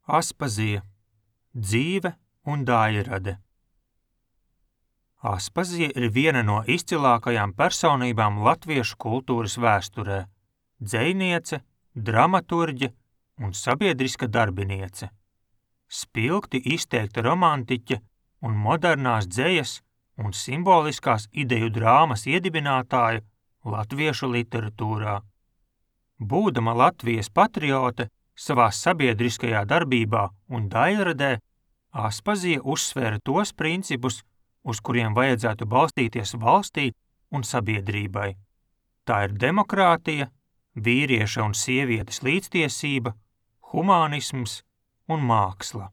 Aspazija – dzīve un daļrade. Aspazija ir viena no izcilākajām personībām latviešu kultūras vēsturē – dzejniece, dramaturģe un sabiedriska darbiniece. Spilgti izteikta romantiķe un modernās dzejas un simboliskās ideju drāmas iedibinātāja latviešu literatūrā. Būdama Latvijas patriote, savā sabiedriskajā darbībā un daļradē, Aspazija uzsvēra tos principus, uz kuriem vajadzētu balstīties valstī un sabiedrībai. Tā ir demokrātija, vīrieša un sievietes līdztiesība, humānisms un māksla.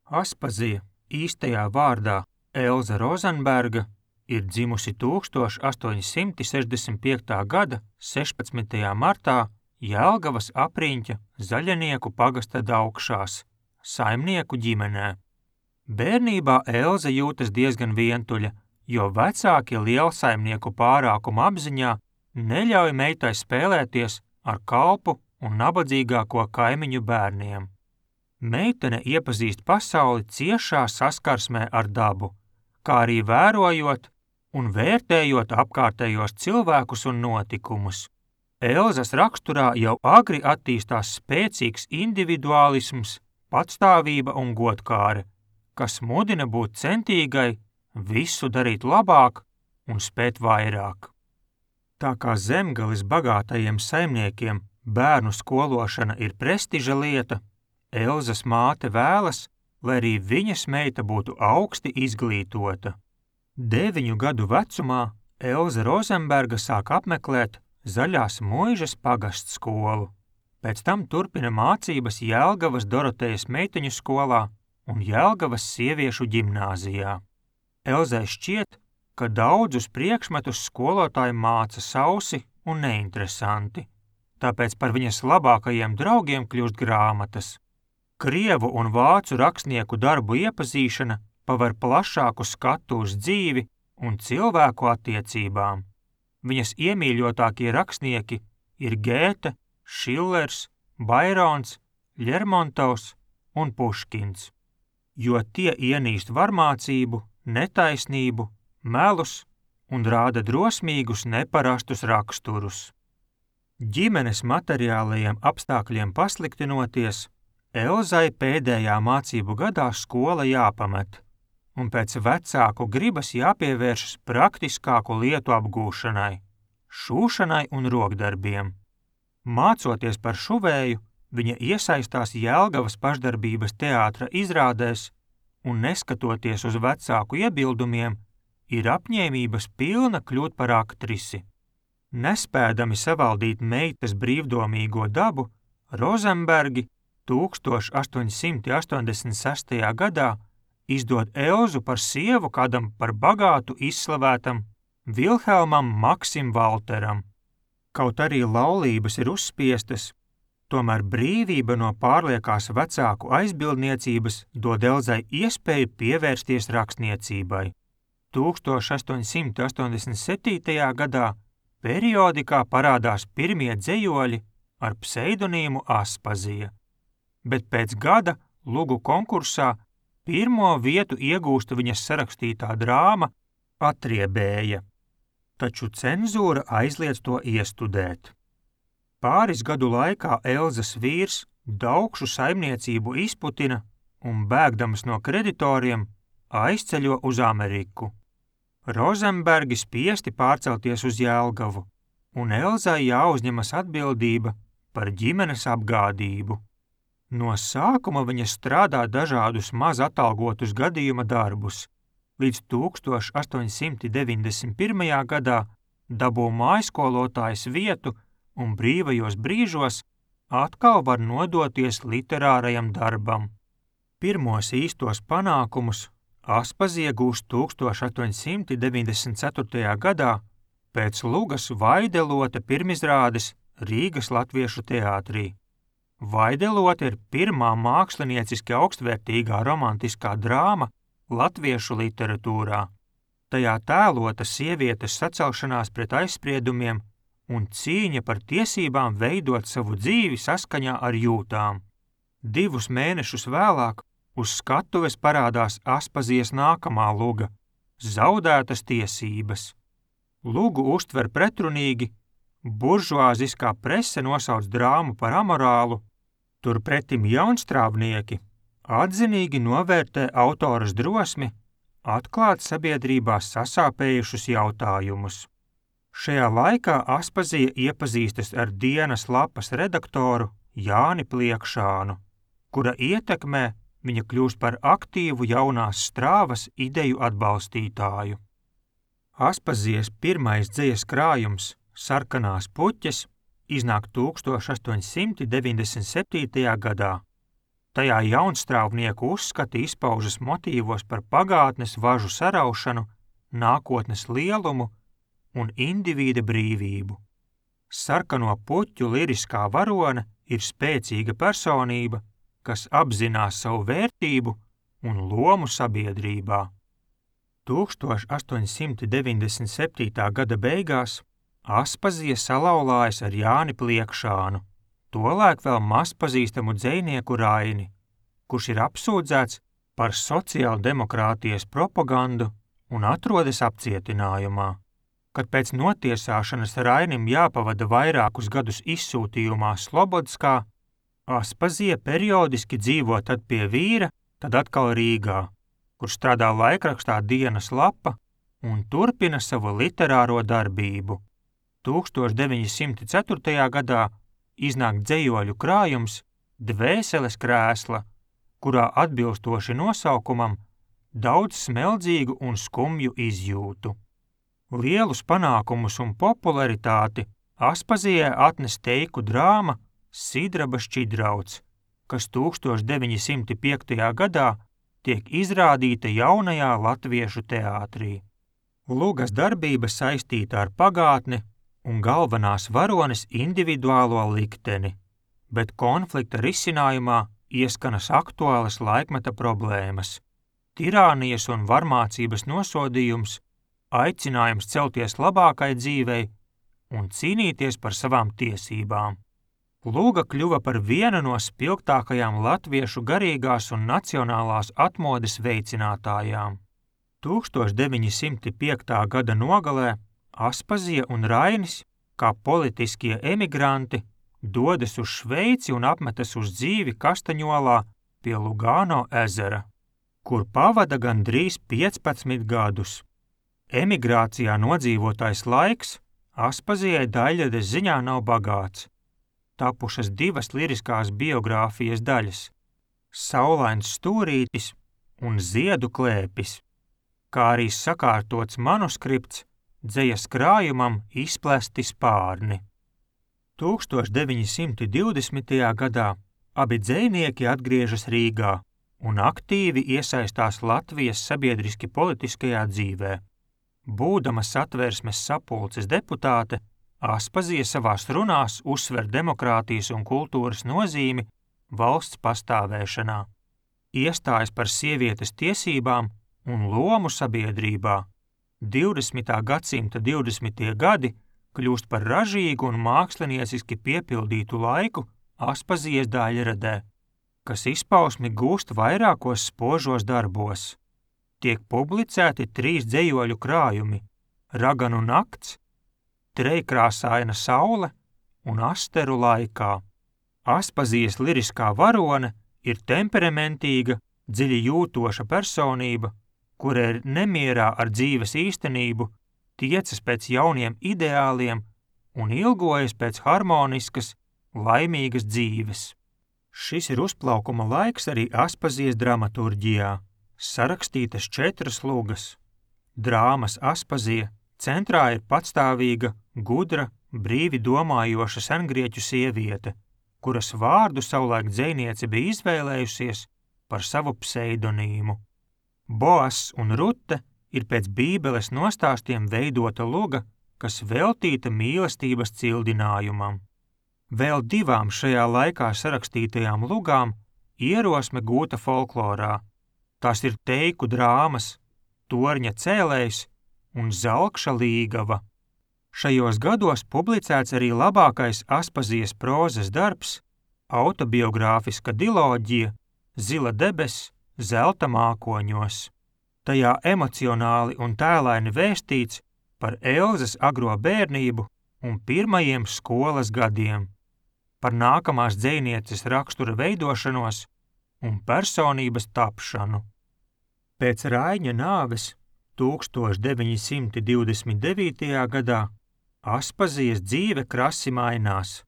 Aspazija, īstajā vārdā Elza Rozenberga, ir dzimusi 1865. gada 16. martā Jelgavas apriņķa Zaļanieku pagasta Daugšās, saimnieku ģimenē. Bērnībā Elza jūtas diezgan vientuļa, jo vecāki lielsaimnieku pārākuma apziņā neļauj meitai spēlēties ar kalpu un nabadzīgāko kaimiņu bērniem. Meitene iepazīst pasauli ciešā saskarsmē ar dabu, kā arī vērojot un vērtējot apkārtējos cilvēkus un notikumus. Elzas raksturā jau agri attīstās spēcīgs individuālisms, patstāvība un godkāre, kas mudina būt centīgai, visu darīt labāk un spēt vairāk. Tā kā Zemgales bagātajiem saimniekiem bērnu skološana ir prestiža lieta, Elzas māte vēlas, lai arī viņas meita būtu augsti izglītota. 9 gadu vecumā Elza Rozenberga sāk apmeklēt Zaļās Muižas pagasts skolu. Pēc tam turpina mācības Jelgavas Dorotejas meiteņu skolā un Jelgavas sieviešu ģimnāzijā. Elzai šķiet, ka daudzus priekšmetus skolotāji māca sausi un neinteresanti, tāpēc par viņas labākajiem draugiem kļūst grāmatas. Krievu un vācu rakstnieku darbu iepazīšana paver plašāku skatu uz dzīvi un cilvēku attiecībām. Viņas iemīļotākie rakstnieki ir Gēte, Šillers, Bairons, Ļermontovs un Puškins, jo tie ienīst varmācību, netaisnību, melus un rāda drosmīgus neparastus raksturus. Ģimenes materiālajiem apstākļiem pasliktinoties, Elzai pēdējā mācību gadā skola jāpamet, un pēc vecāku gribas jāpievēršas praktiskāku lietu apgūšanai, šūšanai un rokdarbiem. Mācoties par šuvēju, viņa iesaistās Jelgavas pašdarbības teātra izrādēs un, neskatoties uz vecāku iebildumiem, ir apņēmības pilna kļūt par aktrisi. Nespēdami savaldīt meitas brīvdomīgo dabu, Rozenbergi 1886. gadā izdod Elzu par sievu kādam par bagātu izslavētam Vilhelmam Maksim Valteram. Kaut arī laulības ir uzspiestas, tomēr brīvība no pārliekās vecāku aizbildniecības dod Elzai iespēju pievērsties rakstniecībai. 1887. gadā periodikā parādās pirmie dzejoļi ar pseidonīmu Aspazija, bet pēc gada lugu konkursā pirmo vietu iegūst viņas sarakstītā drāma Atriebēja, taču cenzūra aizliedz to iestudēt. Pāris gadu laikā Elzas vīrs Daugšu saimniecību izputina un, bēgdams no kreditoriem, aizceļo uz Ameriku. Rozenbergi spiesti pārcelties uz Jelgavu, un Elzai jāuzņemas atbildība par ģimenes apgādību. No sākuma viņa strādā dažādus maz atalgotus gadījuma darbus, līdz 1891. gadā dabū mājskolotājas vietu un brīvajos brīžos atkal var nodoties literārajam darbam. Pirmos īstos panākumus Aspazija gūst 1894. gadā pēc Lugas Vaidelote pirmizrādes Rīgas Latviešu teātrī. Vaidelote ir pirmā mākslinieciski augstvērtīgā romantiskā drāma latviešu literatūrā. Tajā tēlota sievietes sacelšanās pret aizspriedumiem un cīņa par tiesībām veidot savu dzīvi saskaņā ar jūtām. 2 mēnešus vēlāk uz skatuves parādās Aspazijas nākamā luga – Zaudētas tiesības. Lugu uztver pretrunīgi, buržuāziskā prese nosauc drāmu par amorālu, turpretim jaunstrāvnieki atzinīgi novērtē autoras drosmi atklāt sabiedrībā sasāpējušus jautājumus. Šajā laikā Aspazija iepazīstas ar dienas lapas redaktoru Jāni Pliekšānu, kura ietekmē viņa kļūst par aktīvu jaunās strāvas ideju atbalstītāju. Aspazijas pirmais dzejas krājums Sarkanās puķes iznāk 1897. gadā. Tajā jaunstrāvnieku uzskati izpaužas motīvos par pagātnes važu saraušanu, nākotnes lielumu un indivīda brīvību. Sarkano puķu liriskā varone ir spēcīga personība, kas apzinās savu vērtību un lomu sabiedrībā. 1897. gada beigās Aspazija salauzājas ar Jāni Pliekšānu, tolaik vēl mazpazīstamu dzejnieku Raini, kurš ir apsūdzēts par sociāldemokrātijas propagandu un atrodas apcietinājumā. Kad pēc notiesāšanas Rainim jāpavada vairākus gadus izsūtījumā Slobodskā, Aspazija periodiski dzīvo tad pie vīra, tad atkal Rīgā, kur strādā laikrakstā Dienas lapa un turpina savu literāro darbību. 1904. gadā iznāk dzejoļu krājums Dvēseles krēsla, kurā atbilstoši nosaukumam daudz smeldzīgu un skumju izjūtu. Lielus panākumus un popularitāti Aspazijai atnes teiku drāma Sidraba šķidrauts, kas 1905. gadā tiek izrādīta jaunajā latviešu teātrī. Lugas darbība saistīta ar pagātni un galvenās varones individuālo likteni, bet konflikta risinājumā ieskanas aktuālas laikmeta problēmas, tirānijas un varmācības nosodījums, aicinājums celties labākai dzīvei un cīnīties par savām tiesībām. Luga kļuva par vienu no spilgtākajām latviešu garīgās un nacionālās atmodes veicinātājām. 1905. gada nogalē Aspazija un Rainis, kā politiskie emigranti, dodas uz Šveici un apmetas uz dzīvi Kastaņolā pie Lugano ezera, kur pavada gandrīz 15 gadus. Emigrācijā nodzīvotais laiks Aspazijai daļradas ziņā nav bagāts. Tapušas 2 liriskās biogrāfijas daļas – Saulains stūrītis un Ziedu klēpis, kā arī sakārtots manuskripts dzejas krājumam Izplesti spārni. 1920. gadā abi dzejnieki atgriežas Rīgā un aktīvi iesaistās Latvijas sabiedriski politiskajā dzīvē. Būdama Satversmes sapulces deputāte, Aspazija savās runās uzsver demokrātijas un kultūras nozīmi valsts pastāvēšanā, iestājas par sievietes tiesībām un lomu sabiedrībā. 20. gadsimta 20. gadi kļūst par ražīgu un mākslinieciski piepildītu laiku Aspazijas daļradē, kas izpausmi gūst vairākos spožos darbos. Tiek publicēti 3 dzejoļu krājumi – Raganu nakts, Trejkrāsaina saule un Asteru laikā. Aspazijas liriskā varone ir temperamentīga, dziļi jūtoša personība, kura ir nemierā ar dzīves īstenību, tiecas pēc jauniem ideāliem un ilgojas pēc harmoniskas, laimīgas dzīves. Šis ir uzplaukuma laiks arī Aspazijas dramaturģijā. Sarakstītas 4 lugas. Drāmas Aspazija centrā ir patstāvīga, gudra, brīvi domājoša sengrieķu sieviete, kuras vārdu savulaik dzejniece bija izvēlējusies par savu pseidonīmu. Boas un Rute ir pēc Bībeles nostāstiem veidota luga, kas veltīta mīlestības cildinājumam. Vēl 2 šajā laikā sarakstītajām lugām ierosme gūta folklorā. Tās ir teiku drāmas Torņa cēlējs un Zalkša līgava. Šajos gados publicēts arī labākais Aspazijas prozas darbs autobiogrāfiska diloģija Zila debesis zelta mākoņos. Tajā emocionāli un tēlaini vēstīts par Elzas agro bērnību un pirmajiem skolas gadiem, par nākamās dzejnieces rakstura veidošanos un personības tapšanu. Pēc Raiņa nāves 1929. gadā Aspazijas dzīve krasi mainās.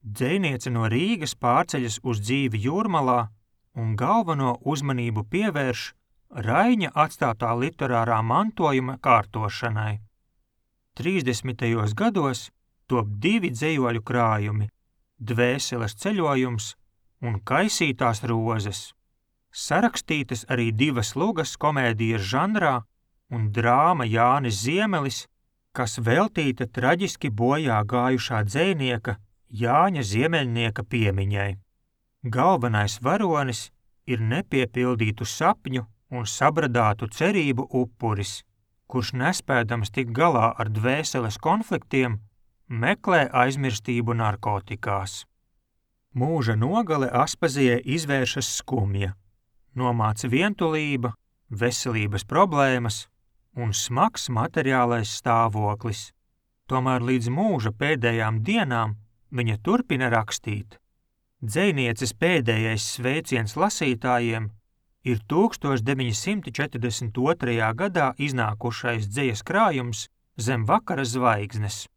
Dzejniece no Rīgas pārceļas uz dzīvi Jūrmalā un galveno uzmanību pievērš Raiņa atstātā literārā mantojuma kārtošanai. 30. gados top 2 dzejoļu krājumi – Dvēseles ceļojums un Kaisītās rozes. Sarakstītas arī 2 lugas komēdijas žanrā un drāma Jānis Ziemelis, kas veltīta traģiski bojā gājušā dzejnieka Jāņa Ziemeļnieka piemiņai. Galvenais varonis ir nepiepildītu sapņu un sabradātu cerību upuris, kurš nespēdams tikt galā ar dvēseles konfliktiem, meklē aizmirstību narkotikās. Mūža nogale Aspazijai izvēršas skumja, nomāca vientulība, veselības problēmas un smags materiālais stāvoklis. Tomēr līdz mūža pēdējām dienām viņa turpina rakstīt. Dzejnieces pēdējais sveiciens lasītājiem ir 1942. gadā iznākušais dzejas krājums Zem vakara zvaigznes,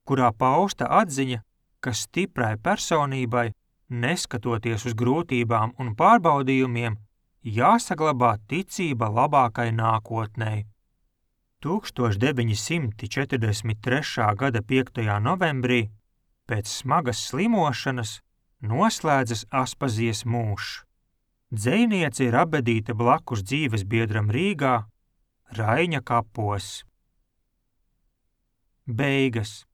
kurā pausta atziņa, ka stiprai personībai, neskatoties uz grūtībām un pārbaudījumiem, jāsaglabā ticība labākai nākotnei. 1943. gada 5. novembrī pēc smagas slimošanas noslēdzas Aspazijas mūžs. Dzejniece ir abedīta blakus dzīves biedram Rīgā, Raiņa kapos. Beigas.